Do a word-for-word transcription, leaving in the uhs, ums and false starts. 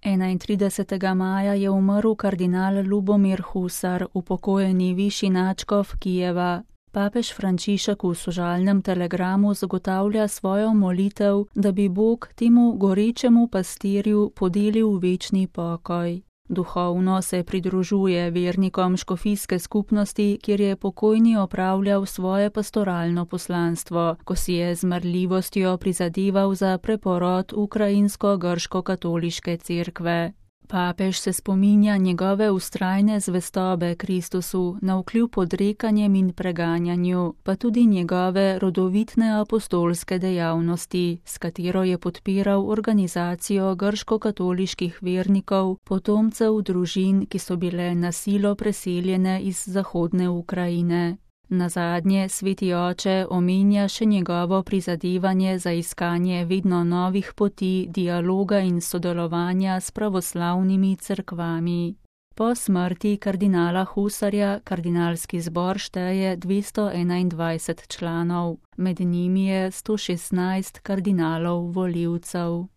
enaintridesetega maja je umrl kardinal Lubomir Husar, upokojeni višji nadškof Kijeva. Papež Frančišek v sožalnem telegramu zagotavlja svojo molitev, da bi Bog temu gorečemu pastirju podelil večni pokoj. Duhovno se pridružuje vernikom škofijske skupnosti, kjer je pokojni opravljal svoje pastoralno poslanstvo, ko si je z marljivostjo prizadeval za preporod ukrajinsko-grško-katoliške cerkve. Papež se spominja njegove vztrajne zvestobe Kristusu navkljub odrekanjem in preganjanju, pa tudi njegove rodovitne apostolske dejavnosti, s katero je podpiral organizacijo grško-katoliških vernikov, potomcev družin, ki so bile na silo preseljene iz zahodne Ukrajine. Nazadnje sveti oče omenja še njegovo prizadevanje za iskanje vedno novih poti dialoga in sodelovanja s pravoslavnimi cerkvami. Po smrti kardinala Husarja kardinalski zbor šteje dvesto enaindvajset članov, med njimi je sto šestnajst kardinalov volivcev.